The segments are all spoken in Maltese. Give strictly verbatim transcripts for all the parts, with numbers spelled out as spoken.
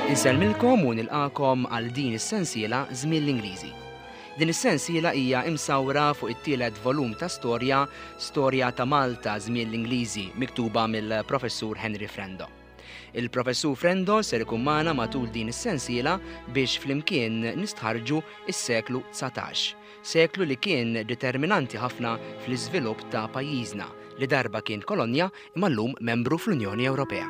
Insellmilkom u nilqakom għal din is-sensiela Żmien l-Ingliżi. Din is-sensiela hija imsawra fuq it-tielet volum ta' storja, Storja ta' Malta Żmien l-Ingliżi, miktuba mill-Professur Henry Frendo. Il-Professur Frendo ser ikun magħna matul din is-sensiela biex flimkien nistħarġu is-seklu dsatax, seklu li kien determinanti ħafna fl-iżvilupp ta' pajjiżna li darba kien kolonja imma llum membru fl-Unjoni Ewropea.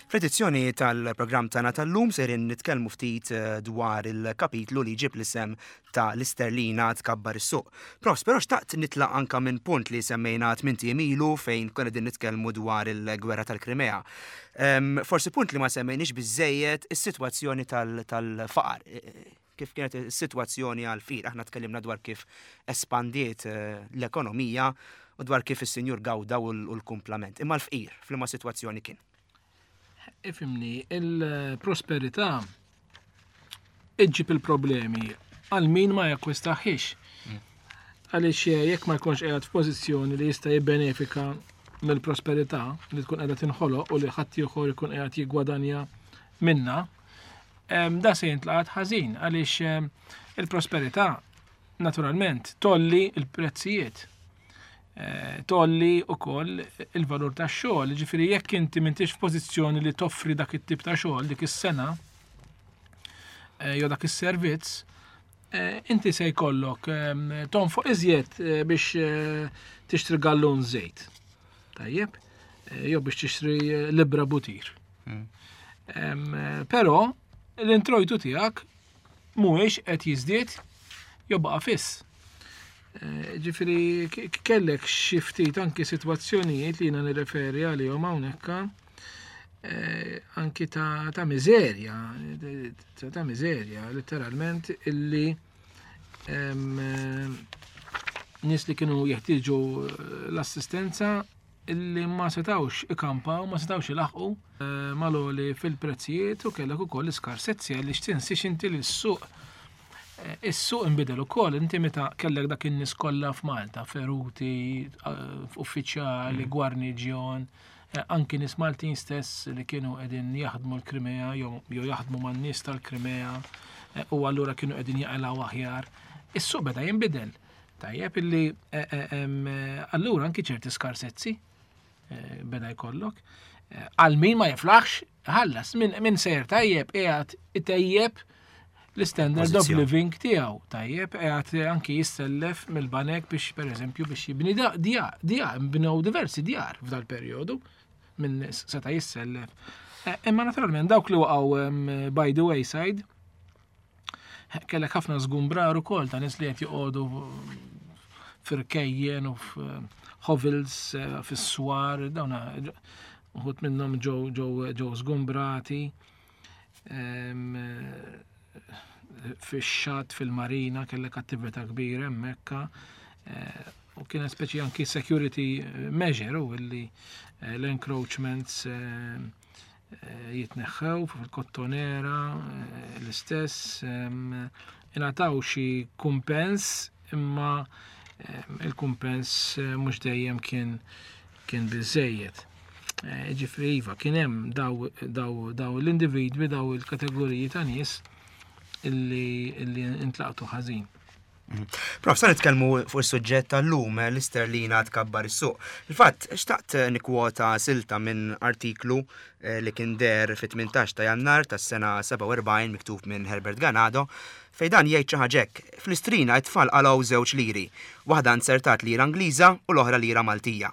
Fl-edizzjoni tal-programm tagħna tal-lum serin nitkellmu ftit eh, dwar il-kapitlu li jġib l-isem ta' l-isterlina tkabbar is-suq. Profs, però xtaqt nitlaq anka minn punt li semmejna tmint ijiem ilu fejn konna qegħdin nitkellmu dwar il-gwerra tal-Krimea. Em, forsi punt li ma semmejniex biżejjed is-sitwazzjoni tal-faqar. Kif kienet is-sitwazzjoni għal-fqir. Aħna tkellimna dwar kif espandiet eh, l-ekonomija u dwar kif is-sinjur gawda u l-kumplament. Imma l-fqir, f'liema sitwazzjoni kien? Ifimni, il-prosperità iġġib il-problemi għal min ma jakkwistaħiex. Għaliex jekk ma jkunx qiegħed f'pożizzjoni li jista' jibbenefika mill-prosperità li tkun qiegħda tinħoloq u li ħadd ieħor ikun qiegħed jiggwadanja minna, da se jintlaqat ħażin għaliex il-prosperità naturalment tolli il-prezzijiet. Tolli u koll il-valur ta' xogħol, ġifieri jekk inti m'intix f'pożizzjoni li toffri dak it-tip ta' xogħol, dik is-sena, jew dak is-servizz, inti se jkollok tonfoq iżjed biex tixtri gallun żejt. Tajjeb, jew biex tixtri libra butir. Però l-introjtu tiegħek mhuwiex qed jiżdied jew baqa' fiss. Ġifieri kellek xi ftit anki sitwazzjonijiet li jiena nirreferi għalihom hawnhekk anki ta', ta' miżerja, ta' miżerja letteralment illi nies li kienu jeħtieġu l-assistenza illi ma setawx ikampaw, ma setawx ilaħqu mal-għoli fil-prezzijiet u kellek ukoll l-iskarsezzi għaliex tinsiex inti li s-suq Is-suq inbidel ukoll, inti meta kellek dak in-nies kollha f'Malta, feruti, uffiċjali, gwarniġjon, anki nies Maltin stess li kienu qegħdin jaħdmu l-Krimea jew jaħdmu man-nies tal-Krimea u allura kienu qegħdin jaqilgħu aħjar. Is-suq beda jinbidel. Tajjeb illi allura anki ċerti skarsezzi beda jkollok. Għal min ma jiflaħx, ħallas, min sejr tajjeb qiegħed itejjeb l-standard of living tiegħu. Tajjeb, qiegħed anki jissellef mill-banek biex pereżempju biex jibni djar, djar, nbnew diversi djar f'dal perjodu minn seta' jissellef. Imma naturalment dawk li waqgħu by the wayside kellek ħafna żgumbrar ukoll ta' nies li qed joqogħdu firkejjen u f'hovels fis-swar, dawn uħud minnhom ġew ġew ġew żgumbrati. Fix-xatt fil-marina kellek attività kbira hemmhekk u kienet speċi anki security measure u illi l-encroachments jitneħħew fil-kottonera l-istess ingħataw xi kumpens imma il-kumpens mhux dejjem kien kien biżejjed. Ġifieri iva kien hemm daw daw daw l-individwi, daw il-kategoriji ta' nies illi illi intlaqtu ħażin. Prof, sa nitkellmu fuq is-suġġett tal-lum, l-isterlina tkabbar is-suq. Il-fatt, xtaqt nikkwota silta minn artiklu li kien der fit-tmintax ta' Jannar tas-sena sebgħa u erbgħin miktub minn Herbert Ganado, fejn dan jgħid xi ħaġa hekk. Fl-istrina t-tfal qalgħu żewġ liri, waħda nzertat lira Ingliża u l-oħra lira Maltija.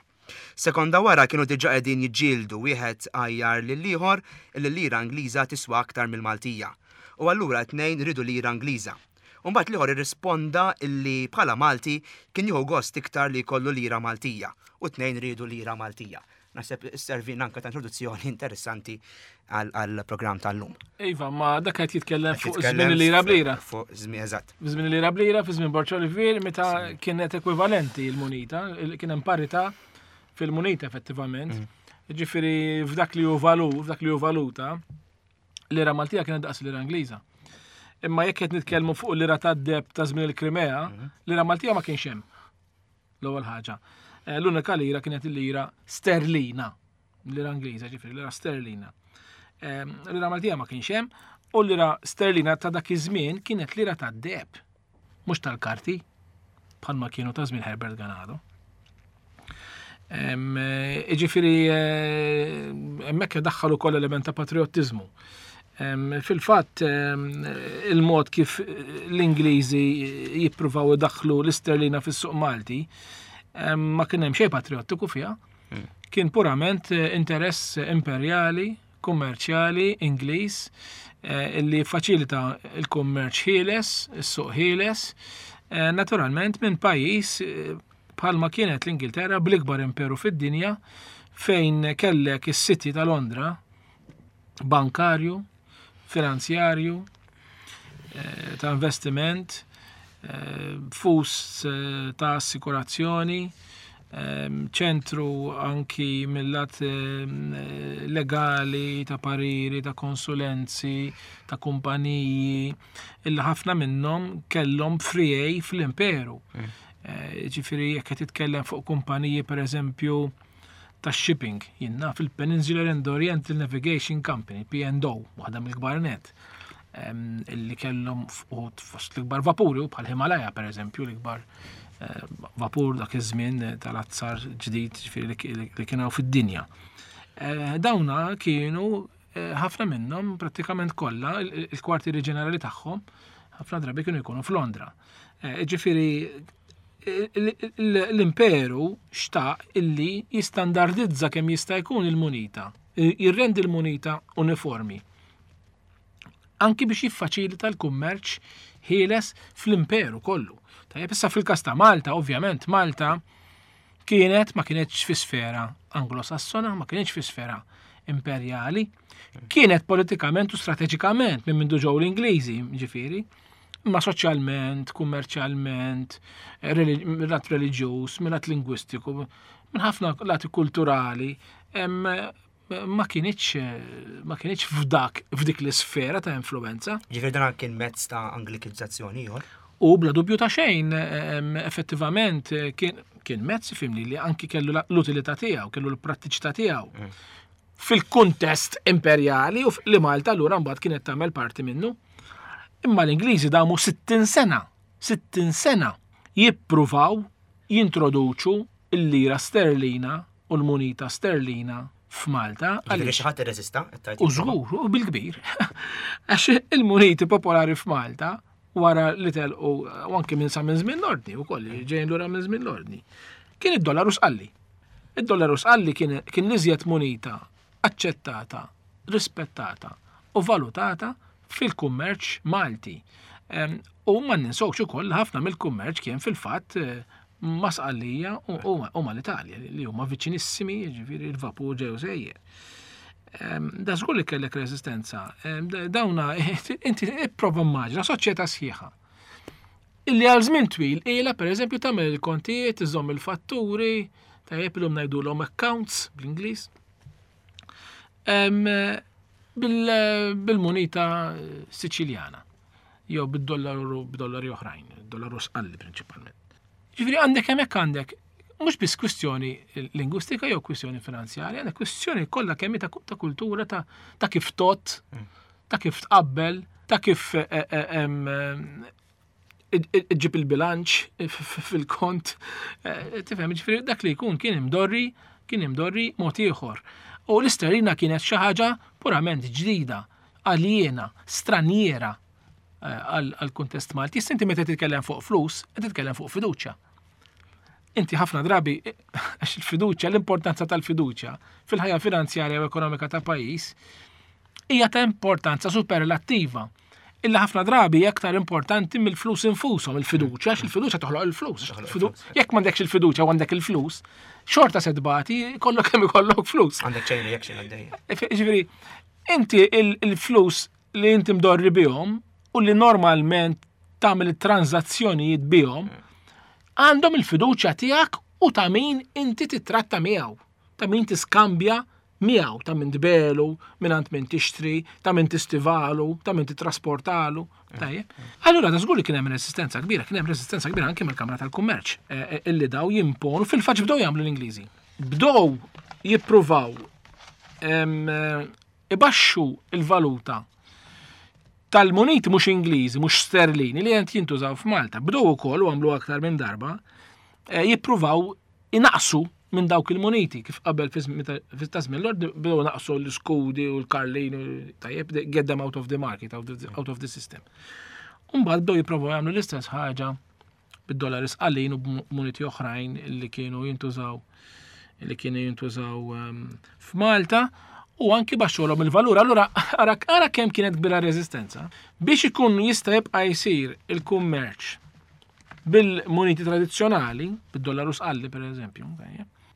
Sekonda wara kienu diġà qegħdin jiġġieldu wieħed għajjar lil ieħor illi l-lira Ingliża tiswa aktar mill-Maltija. U allura t-tnejn ridu lira Ingliża. U mbagħad l-ieħor irrisponda illi bħala Malti kien jieħu gost iktar li jkollu lira Maltija u t-tnejn ridu lira Maltija. Naħseb isservina anke ta' introduzzjoni interessanti għall-programm tal-lum. Iva, ma dak qed jitkellem fuq żmien il-lira blira. Fuq żmien, eżatt. Żmien il-lira blira fi żmien Borg Olivier meta kienet ekwivalenti l-munita, kien hemm parità fil-munita effettivament. Ġifieri f'dak li hu valu, f'dak li hu valuta, l-lira Maltija kienet daqs l-lira Ingliża. Imma jekk qed nitkellmu fuq l-lira tad-deb ta' żmien il-Krimea, l-lira Maltija ma kienx hemm. L-ewwel ħaġa. L-unika lira kienet il-lira sterlina, lira Ingliża, ġifieri lira sterlina. Lira Maltija ma kienx hemm, u lira sterlina ta' dak iż-żmien kienet lira tad-deheb, mhux tal-karti, bħalma kienu ta' żmien Herbert Ganado. Ġifieri hemmhekk daħħal ukoll element ta' patriottiżmu. Fil-fatt il-mod kif l-Ingliżi jippruvaw idaħħlu l-isterlina fis-suq Malti ma kien hemm xejn patriottiku fiha. Kien purament interess imperjali, kummerċjali, Ingliż, illi faċilita il-kummerċ ħieles, is-suq ħieles, naturalment minn pajjiż bħalma kienet l-Ingilterra bl-ikbar imperu fid-dinja, fejn kellek is-City ta' Londra, bankarju, finanzjarju, ta' investiment, fus ta' assikurazzjoni, ċentru anki mill-lat legali, ta' pariri, ta' konsulenzi, ta' kumpaniji, illi ħafna minnhom kellhom friegħi fl-imperu. Ġifieri jekk qed titkellem fuq kumpaniji pereżempju ta' shipping, jiena fil-Peninsular and Oriental Navigation Company, P and O, waħda mill-kbar net, illi kellhom fost l-ikbar vapuri, u bħal Himalaya pereżempju, l-ikbar vapur dak iż-żmien tal-azzar ġdid, ġifieri li kien hawn fid-dinja. Dawna kienu ħafna minnhom prattikament kollha il-kwartieri ġenerali tagħhom ħafna drabi kienu jkunu f'Londra. Ġifieri l-imperu xtaq illi jistandardizza kemm jista' jkun il-munita, jirrendi l-munita uniformi. Anki biex jiffaċilita l-kummerċ ħieles fl-imperu kollu. Tajjeb, issa fil-każ ta' Malta, ovvjament Malta kienet ma kienetx fi sfera anglosassona, ma kienetx fi sfera imperjali, kienet politikament u strateġikament minn mindu ġew l-Ingliżi, ġifieri, imma soċjalment, kummerċjalment, mill-lat reliġjuż, mill-lat lingwistiku, minn ħafna lati kulturali, ma kienitx, ma kienitx f'dak, f'dik l-isfera ta' influenza. Ġifieri dan kien mezz ta' anglikizzazzjoni ieħor? U bla dubju ta' xejn, effettivament kien, kien mezz, fimni, li anki kellu l-utilità tiegħu, kellu l-prattiċità tiegħu. Fil-kuntest imperjali u li Malta allura mbagħad kienet tagħmel parti minnu. Imma l-Ingliżi damu sittin sena, sittin sena jippruvaw jintroduċu l-lira sterlina u l-munita sterlina f'Malta. Ġifieri xi ħadd irreżista, qed tgħid U żgur, u bil-kbir. Għax il-muniti popolari f'Malta wara li telqu, u anke minn sa minn żmien l-ordni wkoll, ġejjin lura minn żmien l-ordni, kien id-dollaru sqalli. Id-dollaru sqalli kien, kien l-iżjed munita aċċettata, rispettata u valutata fil-kummerċ Malti. Em, u ma ninsewx ukoll ħafna mill-kummerċ kien fil-fatt, eh, ma' Sqallija u, u, u mal-Italja, li huma viċinissimi, jiġifieri l-vapur ġew sejjer. Em, da żgur li kellek reżistenza. Em, da-, dawna, inti ipprova immaġina soċjetà sħiħa. Illi għal żmien twil ilha pereżempju tagħmel il-kontijiet, iżomm il-fatturi, tajjeb illum ngħidulhom accounts bl-Ingliż. Em, bil-, bil-munita Siċiljana jew bid-dollaru, b'dollari oħrajn, dollaru sqalli prinċipalment. Ġifieri għandek hemmhekk għandek mhux biss kwistjoni lingwistika jew kwistjoni finanzjarja, għandek kwistjoni kollha kemm ta' ta' kultura, ta', ta' kif tot, ta' kif tqabbel, ta' kif, eh, eh, em, iġġib il-bilanċ fil-kont. Eh, tifhem, ġifieri dak li jkun kien imdorri, kien imdorri mod ieħor. U l-isterlina kienet xi ħaġa purament ġdida, aljena, straniera, eh, għal, għal kuntest Malti. Issa inti meta titkellem fuq flus, qed titkellem fuq fiduċja. Inti ħafna drabi, għax il-fiduċja, l-importanza tal-fiduċja fil-ħajja finanzjarja u ekonomika ta' pajjiż hija ta' importanza superlattiva. Illa ħafna drabi hija aktar importanti mill-flus infushom, il-fiduċja, għax il-fiduċja toħloq il-flus. Toħloq Fidu- il-flus. Jekk m'għandekx il-fiduċja u għandek il-flus, xorta se tbati, kollok kemm ikollok flus. Għandek chain reaction għaddejja. Efe-, ġifieri, inti il-, il-flus li inti mdorri bihom u li normalment tagħmel it-transazzjonijiet bihom, għandhom il-fiduċja tiegħek u ta' min inti titratta miegħu, ta' min tiskambja Miegħu ta' min tbelu, minn għand min tixtri, ta' min tistivalu, ta' min titrasportalu. Tajjeb. Allura da żgur li kien hemm resistenza kbira, kien hemm resistenza kbira anke mill-Kamra tal-Kummerċ eh, eh, illi daw jimponu fil-fatt bdew jagħmlu l-Ingliżi. Bdew jippruvaw eh, ibaxxu il-valuta tal-muniti mhux Ingliżi, mhux sterlini li qed jintużaw f'Malta. Bdew ukoll u għamlu aktar minn darba jippruvaw inaqsu minn dawk il-muniti kif qabel fi żmien Lord bdew naqsu l-skudi u l-karlin tajjeb get them out of the market, out of the, out of the system. Umbagħad bdew jipprovaw jagħmlu l-istess ħaġa bid-dollari sqallin u b'muniti oħrajn li kienu jintużaw li kienu jintużaw um, f'Malta u anki baxxulhom il-valur. Allura ara ara kemm kienet kbira reżistenza. Biex ikun jista' jibqa' jsir il-kummerċ bil-muniti tradizzjonali, bid-dollaru sqalli per eżempju,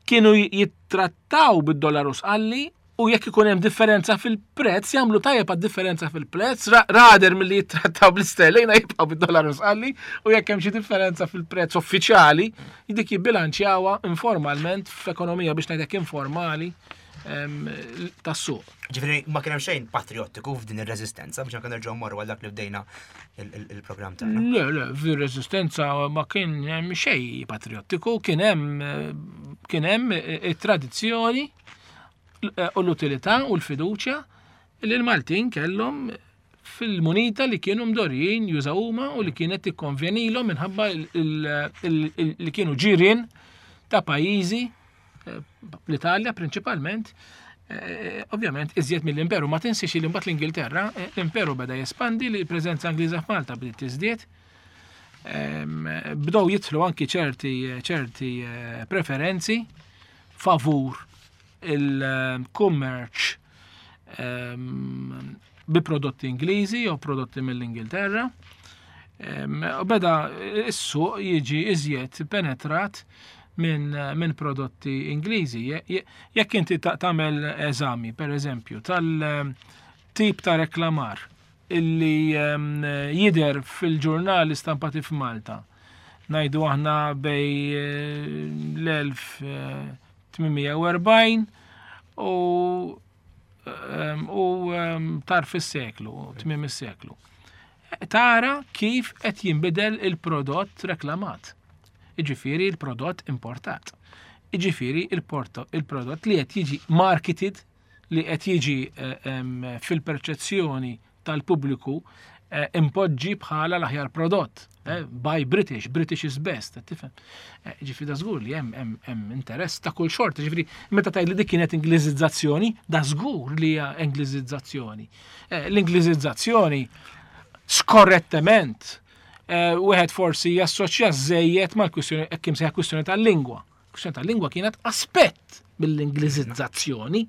kienu jittrattaw bid-dollaru sqalli u jekk ikun hemm differenza fil-prezz, jagħmlu tajjeb għad-differenza fil-prezz, rather milli jittrattaw bl-isterlina jibqgħu bid-dollaru sqalli u jekk hemm xi differenza fil-prezz uffiċjali, dik jibbilanċjawha informalment f'ekonomija biex ngħidlek informali tas-suq. Ġifieri ma kien hemm xejn patriottiku f'din ir-reżistenza biex anke nerġgħu mmorru għal dak li bdejna il-programm tagħna. Le, le, fir-reżistenza ma kien hemm xejn patriottiku, kien hemm kien hemm it-tradizzjoni u l-utilità u l-fiduċja li l-Maltin kellhom fil-munita li kienu mdorrijin jużaw huma u li kienet tikkonvenilhom minħabba li kienu ġirien ta' pajjiżi l-Italja prinċipalment, eh, ovvjament iżjed mill-imperu, ma tinsiex li mbagħad l-Ingilterra, eh, l-imperu beda jespandi li l-preżenza Ingliża f'Malta bdiet tiżdied. Bdew jidħlu anki ċerti ċerti eh, preferenzi favur il-kummerċ bi prodotti Ingliżi jew prodotti mill-Ingilterra. U beda is-suq jiġi iżjed penetrat minn min prodotti Ingliżi. Jekk inti tagħmel eżami, per eżempju, tal-tip ta' reklamar illi jidher fil-ġurnali stampati f'Malta, ngħidu aħna bejn l-elf tmien mija u erbgħin u u tarf is-seklu, tmiem is-seklu. Tara kif qed jinbidel il-prodott reklamat. Iġifieri il-prodott importat. Iġifieri il-prodott li qed jiġi marketed, li qed jiġi fil-perċezzjoni tal-pubbliku impoġġi bħala l-aħjar prodott. Buy British, British is best, tifhem. Ġifieri da żgur li hemm hemm interess ta' kull xorta, ġifieri meta tgħid li dik kienet Ingliżizzazzjoni, da żgur li hija Ingliżizzazzjoni. L-Ingliżizzazzjoni skorrettement wieħed forsi jassoċja żejjed mal-kwistjoni, hekk imsejħa kwistjoni tal-lingwa. Kwistjoni tal-lingwa kienet aspett mill-Ingliżizzazzjoni.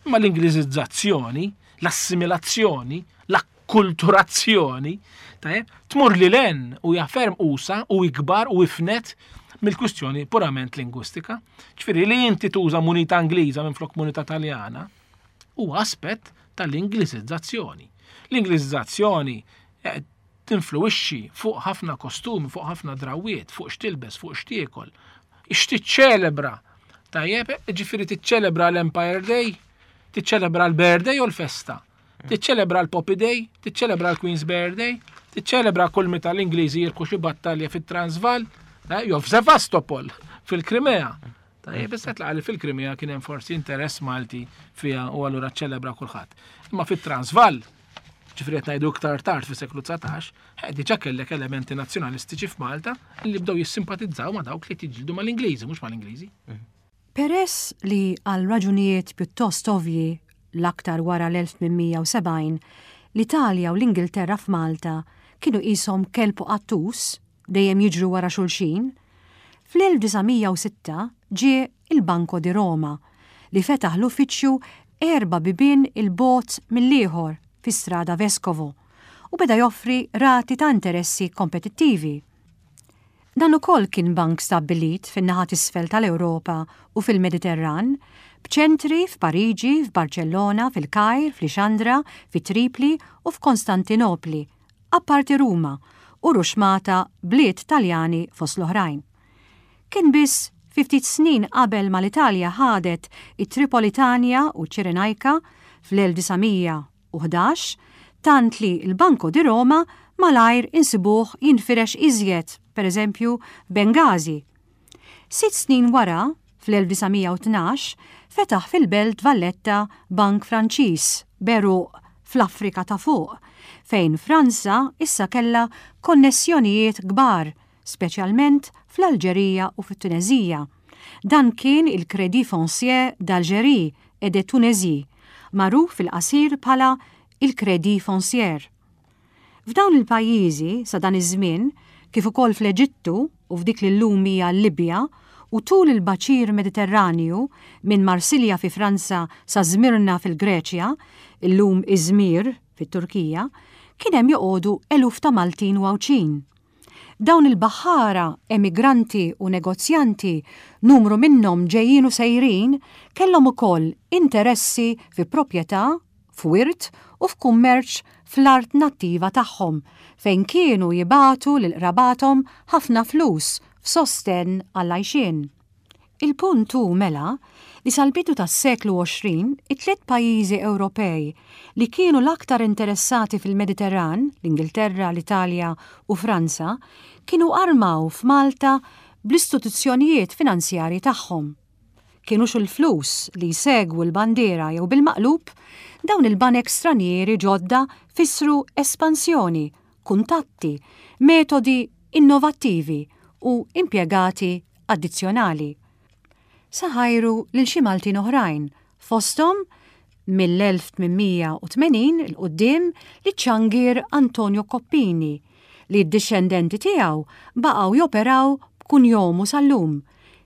Imma l-Ingliżizzazzjoni, l-assimilazzjoni, l-akkulturazzjoni, tajjeb, tmur lil hinn u hija ferm usa' u ikbar u ifnet mill-kwistjoni purament lingwistika. Ġifieri li inti tuża munita Ingliża minflok munita Taljana huwa aspett tal-Ingliżizzazzjoni. L-Ingliżizzazzjoni tinfluwixxi fuq ħafna kostumi, fuq ħafna drawiet, fuq x'tilbes, fuq x'tiekol, x'tiċċelebra. Tajjeb, ġifieri tiċċelebra l-Empire Day, tiċċelebra l-Birthday u l-festa, tiċċelebra l-Poppy Day, tiċċelebra l-Queen's Birthday, tiċċelebra kull meta l-Ingliżi jirbħu xi battalja fit-Transvaal, jew f'Sevastopol, fil-Krimea. Tajjeb, issa tlaqa li fil-Krimea kien hemm forsi interess Malti fiha u allura ċċelebra kulħadd. Imma fit-Transvaal, ġifieri qed ngħidu iktar tard fis-seklu dsatax, diġà kellek elementi nazzjonalistiċi f'Malta li bdew jissimpatizzaw ma' dawk li tiġġieldu mal-Ingliżi, mhux mal-Ingliżi. Peress li għal raġunijiet pjuttost ovvji l-aktar wara l-elf tmien mija u sebgħin, l-Italja u l-Ingilterra f'Malta kienu qishom kelb u qattus dejjem jiġru wara xulxin, fl-elf disa' mija u sitta ġie il-Banco di Roma li fetaħ l-uffiċċju erba' bibien il-bogħod mill-ieħor fi Strada Vescovo u beda joffri rati ta' interessi kompetittivi. Dan ukoll kien bank stabbilit fin-naħa t'isfel tal-Ewropa u fil-Mediterran, b'ċentri f'Pariġi, f'Barcellona, fil-Kajr, f'Lixandra, fi Tripli u f'Konstantinopli, apparti Ruma u ruxmata bliet Taljani fost l-oħrajn. Kien biss fi ftit snin qabel ma l-Italja ħadet it-Tripolitanja u Ċirenajka fl-elf disa' mija u ħdax, tant li l-Banco di Roma malajr insibuh jinfirex iżjed, per eżempju f'Bengazi. Sitt snin wara, fl-elf disa' mija u tnax, fetaħ fil-Belt Valletta Bank Franċiż b'għeruq fl-Afrika ta' fuq, fejn Franza issa kellha konnessjonijiet kbar, speċjalment fl-Alġerija u fit-Tunezija. Dan kien il-Crédit Foncier d'Algérie et de Tunisie, magħruf fil-qasir bħala il-Crédit Foncier. F'dawn il-pajjiżi sa dan iż-żmien, kif ukoll fl-Eġittu u f'dik li llum hija l-Libja, u tul il-baċir Mediterranju minn Marsilja fi Franza sa Zmirna fil-Greċja, illum Izmir fit-Turkija, kien hemm joqogħdu eluf ta' Maltin u Għawdxin. Dawn il-baħħara, emigranti u negozjanti, numru minnhom ġejjin u sejrin, kellhom ukoll interessi fi proprjetà, f'wirt u f'kummerċ fl-art nattiva tagħhom, fejn kienu jibatu lil qrabathom ħafna flus f'sostenn għall-għajxien. Il-punt hu mela li sal-bidu tas-seklu għoxrin it-tliet pajjiżi Ewropej li kienu l-aktar interessati fil-Mediterran, l-Ingilterra, l-Italja u Franza, kienu armaw f'Malta bl-istituzzjonijiet finanzjarji tagħhom. Kienu xu l-flus li jsegwu l-bandiera jew bil-maqlub, dawn il-banek stranieri ġodda fissru espansjoni, kuntatti, metodi innovattivi u impjegati addizzjonali. Saħajru lil xi Maltin oħrajn, fosthom mill-elf tmien mija u tmenin il quddiem li ċangir Antonio Coppini, li d-dixxendenti tiegħu baqgħu joperaw b'kunjomu sal-lum,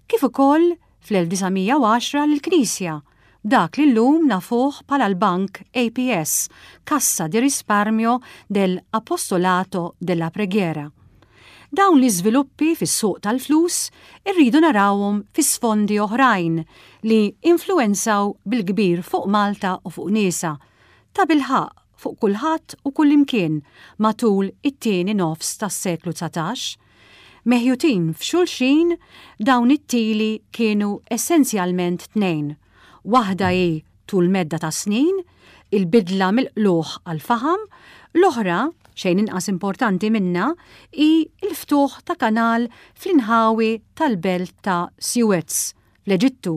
kif ukoll fl-elf disa' mija u għaxra lill-Knisja, dak li llum nafuh bħala l-Bank A P S, Cassa di Risparmio del Apostolato della Preghiera. Dawn l-iżviluppi fis-suq tal-flus irridu narawhom fi sfondi oħrajn li influenzaw bil-kbir fuq Malta u fuq niesa, ta' bilħaq fuq kulħadd u kullimkien matul it-tieni nofs tas-seklu dsatax. Meħjutin f'xulxin dawn it-tili kienu essenzjalment tnejn. Waħda hi tul medda ta' snin, il-bidla mill-qluħ għal-faħam, l-oħra, xejn inqas importanti minna, hi l-ftuħ ta' kanal fl-inħawi tal-belt ta' Suez, fl-Eġittu,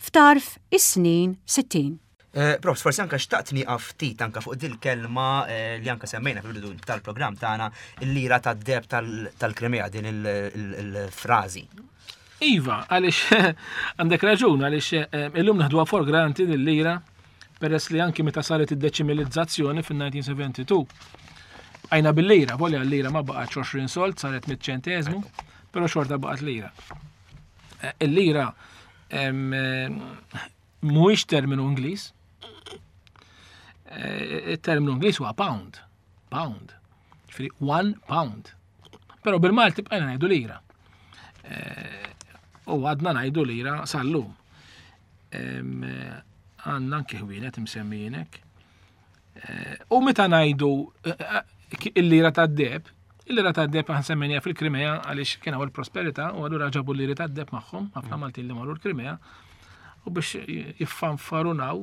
f'tarf is-snin sittin. Eh, Profs, forsi anka xtaqt nieqaf ftit anka fuq dil-kelma, eh, li anka semmejna fil-bidu tal-programm tagħna, il-lira tad-deheb tal-, tal-Krimea, din il-, il-, il-frażi. Iva, għaliex għandek raġun, għaliex, eh, illum naħduha for granted il-lira, peress li anki meta saret id-deċimilizzazzjoni fin-nineteen seventy-two. Għajna bil-lira, volja l-lira ma baqgħetx għoxrin sold, saret mitt ċenteżmu, però xorta baqgħet lira. Eh, il-lira, em, eh, mhuwiex terminu Ingliż. Eh, il-terminu Ingliż huwa pound. Pound. Ġifieri one pound. Però bil-Malti bqajna ngħidu lira. Eh, u għadna ngħidu lira sal-lum. Em, eh, għandna anke ħwienet imsemmijinek. Eh, u meta ngħidu, eh, eh, il-lira tad-deheb, il-lira tad-deheb aħna semmejniha fil-Krimea għaliex kien hawn il-prosperità u allura ġabu l-liri tad-deheb magħhom, ħafna Maltin li marru l-Krimea, u biex jiffanfarunaw,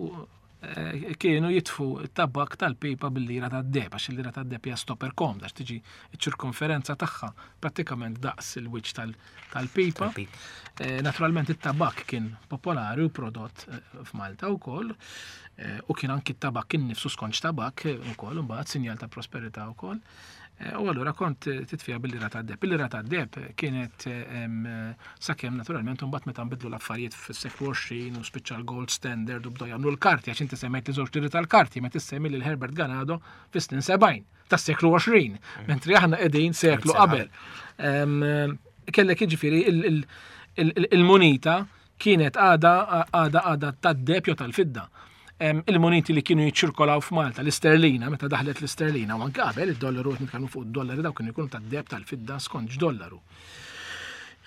eh, kienu jitfu t-tabak tal-pipa bil-lira tad-deheb, għax il-lira tad-deheb hija stopper komda, għax tiġi ċ-ċirkonferenza tagħha prattikament daqs il-wiċċ tal-, tal-pipa. Tal-pipa. Eh, naturalment it-tabak kien popolari u prodott, eh, f'Malta wkoll, eh, u kien anki t-tabak innifsu skonċ tabak, eh, ukoll, imbagħad sinjal ta' prosperità wkoll. Eh, u allura kont titfija bil-lira tad-deheb. Il-lira tad-deheb kienet, eh, em, sakemm naturalment imbagħad meta nbidlu l-affarijiet fis-seklu għoxrin u spiċċa l-gold standard u bdew jagħmlu l-karti, għax inti semmejt li żewġ liri tal-karti, meta tissemmi lil Herbert Ganado fis-snin sebgħin tas-seklu għoxrin, Mm. mentri aħna qegħdin seklu Sena qabel. Em, kellek jiġifieri il-, il-, il-, il-, il-munita kienet għada, għada, għada tad-deheb jew tal-fidda. Em, il-muniti li kienu jiċċirkolaw f'Malta, l-isterlina, meta daħlet l-isterlina, u anke qabel id-dollaru, qed nitkellmu fuq id-dollari, dawk kienu jkunu tad-deheb tal-fidda skont x'dollaru.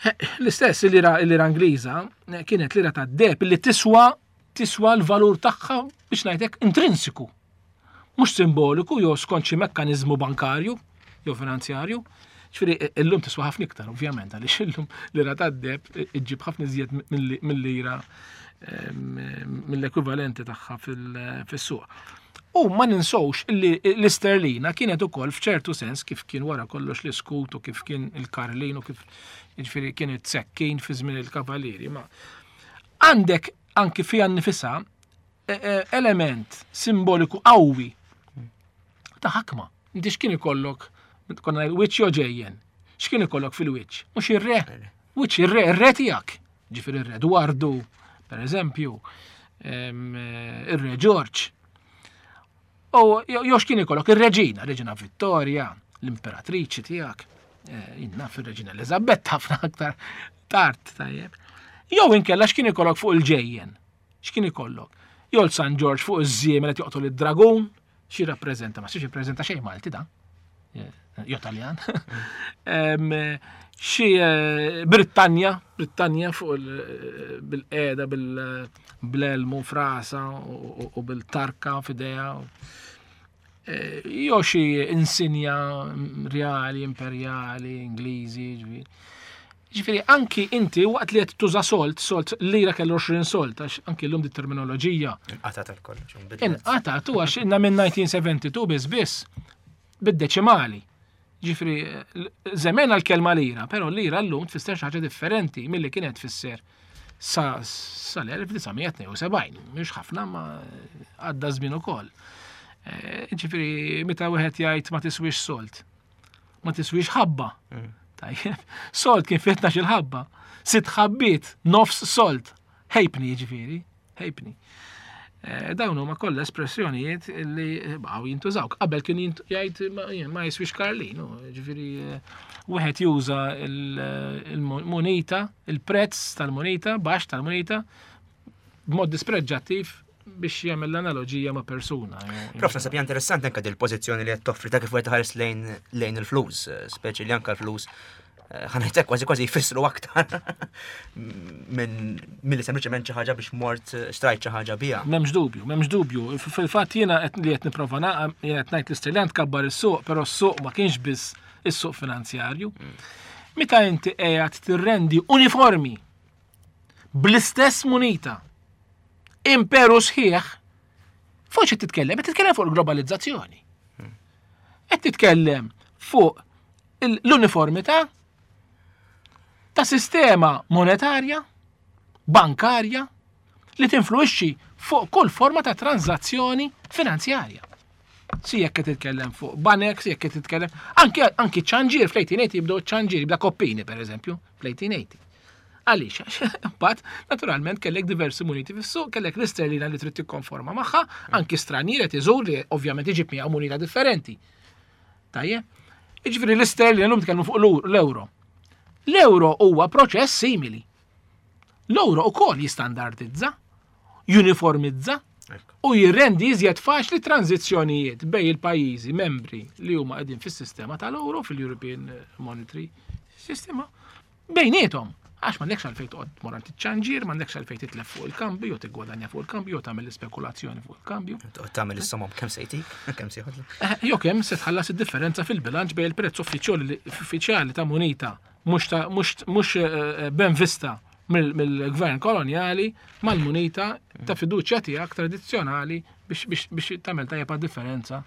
Eh, l-istess il-lira, il-lira Ingliża, eh, kienet lira tad-deheb li tiswa, tiswa l-valur tagħha biex ngħidlek intrinsiku. Mhux simboliku jew skont xi mekkaniżmu bankarju jew finanzjarju. Ġifieri illum tiswa ħafna iktar, ovvjament, għaliex illum lira tad-deheb iġġib ħafna iżjed mill-lira mill-ekwivalenti tagħha fis-suq. U ma ninsowx li l-isterlina kienet ukoll f'ċertu sens kif kien wara kollox l-iskut u kif kien il-karlin u kif jiġifieri kienet sekkin fi żmien il-kavalieri. Ma għandek anki fiha nnifisha element simboliku qawwi ta' ħakma. Inti x'kien ikollok, konna wiċċ jew ġejjen, x'kien ikollok fil-wiċċ? Mhux ir-re. Wiċċ ir-re, ir-re tiegħek. Ġifieri ir-re Dwardu, per eżempju, ir-re George. U jew x'kien ikollok ir-reġina, Reġina Vittoria, l-imperatriċi tiegħek, jiena fir-Reġina Elizabeth ħafna aktar tard, tajjeb. Jew inkella x'kien ikollok fuq il-ġejjen? X'kien ikollok? Jew San George fuq iż-żiemel qed joqtol id-dragun, xi rappreżenta? Ma xi rappreżenta xejn Malti da. Jew Taljan. Xi Brittanja, Brittanja fuq bil-qeda, bil-elmu frasa u bil-tarka f'idejha. Jew xi insinja reali, imperjali, Ingliżi, ġifieri. Ġifieri anki inti waqt li qed tuża solt, solt lira kellu għoxrin solt, għax anki llum di terminoloġija. Inqatat għal kollox, inbidlet. Inqatat u għax inna minn nineteen seventy-two biss biss bid-deċimali. Ġifieri żemmen għall-kelma lira, però lira llum tfisser xi ħaġa differenti milli kienet tfisser sa sal-elf disa' mija tnejn u sebgħin, mhux ħafna ma għadda żmien ukoll. Eh, ġifieri meta wieħed jgħid ma tiswix solt, ma tiswix ħabba. Mm. Tajjeb, solt kien fi tnax-il ħabba, sitt ħabbiet, nofs solt, ħejpni ġifieri, ħejpni. Eh, dawn huma kollha espressjonijiet li baqgħu jintużaw. Qabel kien jint-, jgħid ma, ma jiswix Karlin, u, ġifieri, eh, wieħed juża il-, il-munita, il-prezz tal-munita, baxx tal-munita, b'mod dispreġġattiv biex jagħmel l-analoġija ma' persuna. Prof, naħseb hija interessanti anke dil-pożizzjoni li qed toffri ta' kif wieħed iħares lejn, lejn il-flus, speċi li anke l-flus, eh, ħa ngħidlek kważi kważi jfissru aktar minn milli sempliċement xi ħaġa biex mort xtrajt xi ħaġa biha. M'hemmx dubju, m'hemmx dubju. F-, fil-fatt jiena qed li qed nipprova naqa-, jiena qed ngħid l-isterlina tkabbar is-suq, però s-suq ma kienx biss is-suq finanzjarju. Mm. Meta inti qiegħed tirrendi uniformi bl-istess munita imperu sħiħ, fuq xi titkellem? Qed titkellem fuq il-globalizzazzjoni. Qed titkellem fuq il-, l-uniformità ta' sistema monetarja, bankarja, li tinfluwixxi fuq kull forma ta' tranzazzjoni finanzjarja. Si jekk qed titkellem fuq banek, si jekk qed titkellem anki, anki ċanġir fl-eighteen eighty jibdew ċanġir, jibda koppini per eżempju fl-eighteen eighty. Għaliex? Għax imbagħad naturalment kellek diversi muniti fis-suq, kellek l-isterlina li trid tikkonforma magħha, anki stranier qed iżur li ovvjament iġib miegħu munita differenti. Tajjeb? Jiġifieri l-isterlina llum tkellmu fuq l-ur-, l-euro. L-euro huwa proċess simili. L-euro ukoll jistandardizza, juniformizza Ekku. u jirrendi iżjed faċli tranzizzjonijiet bejn il-pajjiżi membri li huma qegħdin fis-sistema tal-euro, fil-European Monetary System, bejniethom. Għax m'għandekx għalfejn toqgħod tmur għand iċ-ċanġir, m'għandekx għalfejn titlef fuq il-kambju, jew tiggwadanja fuq il-kambju, jew tagħmel l-ispekulazzjoni fuq il-kambju. Toqgħod tagħmel is-somom kemm se jtik, kemm se jħodlek. Eh, jew kemm se tħallas id-differenza fil-bilanċ bejn il-prezz uffiċjali, uffiċjali ta' munita mhux ta', mhux, mhux, eh, eh, ben vista mill-, mill-gvern kolonjali mal-munita ta' fiduċja tiegħek tradizzjonali biex, biex, biex tagħmel tajjeb għad-differenza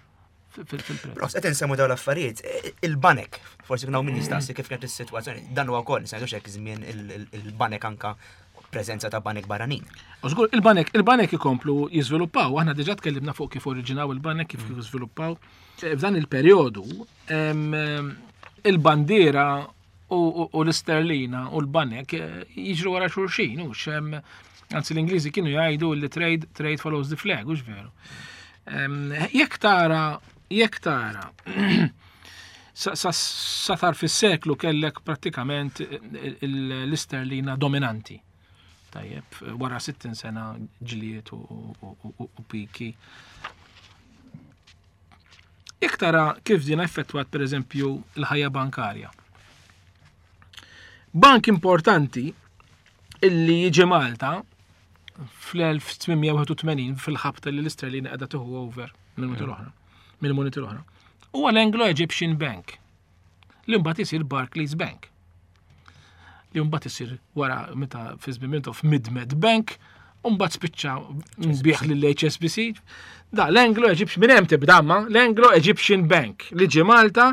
fil-, fil-prezz. Prof, qed insemmu dawn l-affarijiet, e, il-banek, forsi kien hawn min jistaqsi kif kienet is-sitwazzjoni, dan huwa wkoll, se ngħidux hekk żmien il-, il-, il-banek anka preżenza ta' banek barranin. U żgur, il-banek, il-banek ikomplu jiżviluppaw, aħna diġà tkellimna fuq kif oriġinaw il-banek, kif kif żviluppaw. E, f'dan il-perjodu, em, il-bandiera u, u, u l-isterlina u l-banek, eh, jiġru wara xulxin, hux, em, anzi l-Ingliżi kienu jgħidu li trade, trade follows the flag, hux veru. Em, jekk tara, jekk tara, sa, sa, sa tar fis-seklu kellek prattikament il-, il-, l-isterlina dominanti. Tajjeb, wara sittin sena ġlied u, u, u, u, u piki. Jekk tara kif din effettwat per eżempju l-ħajja bankarja. Bank importanti illi jiġi Malta fl-elf tmien mija wieħed u tmenin fil-ħabta li l-isterlina qiegħda tieħu over mill-muniti l-oħra, mill-muniti l-oħra. Huwa l-Anglo-Egyptian Bank. Li mbagħad isir Barclays Bank. Li mbagħad isir wara meta fi żmien Mintoff Mid-Med Bank, u mbagħad spiċċa nbiegħ lill-H S B C. Da l-Anglo-Egyptian, minn hemm tibda ma, l-Anglo-Egyptian Bank li ġie Malta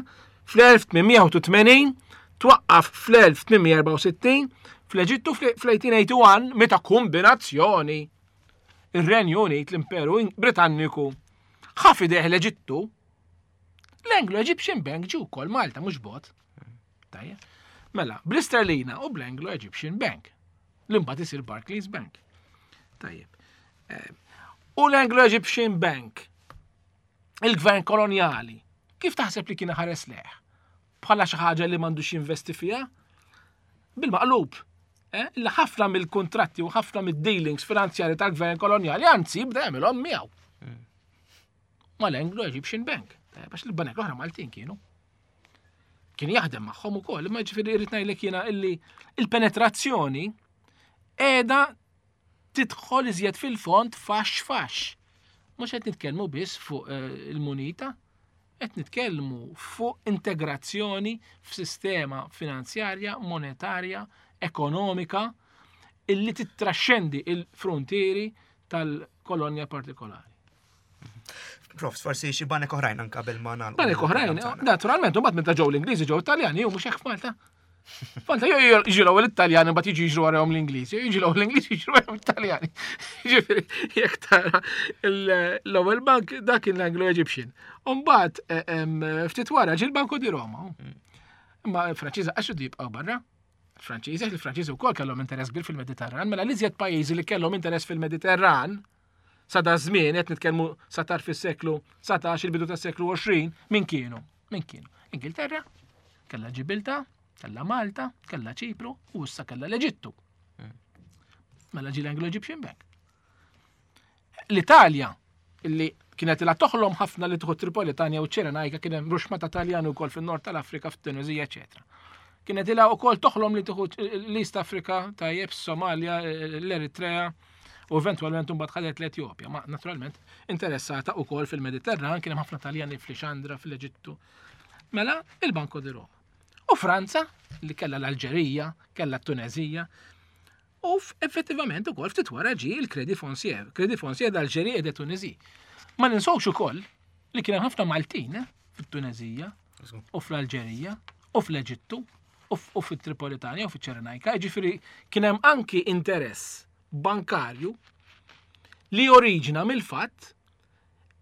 fl-elf tmien mija u tmenin, twaqqaf fl-elf tmien mija erbgħa u sittin, fl-Eġittu fl-elf tmien mija u wieħed u tmenin meta kombinazzjoni ir-Renju Unit, l-Imperu Britanniku, ħa f'idejh l-Eġittu, l-Anglo-Egyptian Bank ġie wkoll Malta, mhux bot. Tajjeb. Mela, bl-Isterlina u bl-Anglo-Egyptian Bank. L-imbagħad isir Barclays Bank. Tajjeb. Eh, U l-Anglo-Egyptian Bank, il-gvern koloniali, kif taħseb li kien ħares lejh? Bħala xi ħaġa li m'għandux jinvesti fiha? Bil-maqlub. Eh? Illa ħafna mill-kontratti u ħafna mid-dealings finanzjari tal-gvern koloniali, anzi, bda jagħmilhom miegħu. Mal-Anglo-Egyptian Bank. Eh, Għax il-banek l-oħra Maltin kienu. Kien jaħdem magħhom ukoll, imma ġifieri irrid ngħidlek jiena illi il-penetrazzjoni qiegħda tidħol iżjed fil-fond fax fax. Mhux qed nitkellmu biss fuq eh, il-munita, qed nitkellmu fuq integrazzjoni f'sistema finanzjarja, monetarja, ekonomika illi tittraxxendi il-frontieri tal-kolonja partikolari. Prof, forsi xi banek oħrajn anke qabel ma nagħlqu. Banek oħrajn, naturalment, u mbagħad meta ġew l-Ingliżi ġew Italjani, u mhux hekk f'Malta. F'Malta jew jiġu l-ewwel Italjani, mbagħad jiġu jiġru warahom l-Ingliżi, jew jiġu l-ewwel l-Ingliżi, jiġru warahom l-Italjani. Ġifieri, jekk tara l-ewwel bank dak kien l-Anglo-Egyptian. U mbagħad eh, em, ftit wara ġie l-Banco di Roma. Imma l-Franċiżi għax jibqgħu barra. Franċiżi, il-Franċiżi wkoll kellhom interess kbir fil-Mediterran, mela l-iżjed pajjiżi li kellhom interess fil-Mediterran sa da żmien, qed nitkellmu sa tarf is-seklu dsatax, il-bidu tas-seklu għoxrin, min kienu? Min kienu? Ingilterra, kellha Ġibilta, kellha Malta, kellha Ċipru u issa kellha l-Eġittu. Mela ġie l-Anglo-Egyptian Bank. L-Italja, illi kienet ilha toħlom ħafna li tieħu Tripolitania u Ċirenajka, kien hemm ruxma ta' Taljani wkoll fin-nord tal-Afrika, fit-Tunizija, eċetera. Kienet ilha wkoll toħlom li tieħu l-East Africa, tajjeb, Somalia, l-Eritrea, u eventualment mbagħad ħadet l-Etjopja, ma naturalment interessata wkoll fil-Mediterran, kien hemm ħafna Taljani f'Lixandra, fl-Eġittu. Mela, il-Banco di Roma. U Franza, li kellha l-Alġerija, kellha t-Tunezija, u effettivament ukoll ftit wara ġie il-Crédit Foncier, Crédit Foncier d'Algérie et de Tunisie. Ma ninsawx ukoll li kien hemm ħafna Maltin eh, fit-Tunezija u fl-Alġerija u fl-Eġittu u fit-Tripolitania u fiċ-Ċirenajka, ġifieri kien hemm anki interess bankarju li oriġina mill-fatt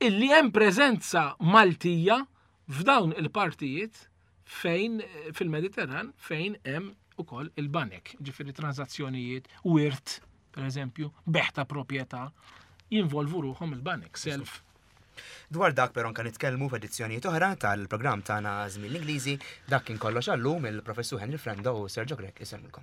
illi hemm preżenza Maltija f'dawn il-partijiet fejn fil-Mediterran fejn hemm ukoll il-banek, ġifieri transazzjonijiet, wirt, per eżempju, bejgħ ta' proprjetà, jinvolvu ruħhom il-banek, self. Dwar dak però anka nitkellmu f'edizzjonijiet oħra tal-programm tagħna Żmien l-Ingliżi. Dak kien kollox għallum. Il-Professur Henry Frendo u Sergio Grech isellmulkom.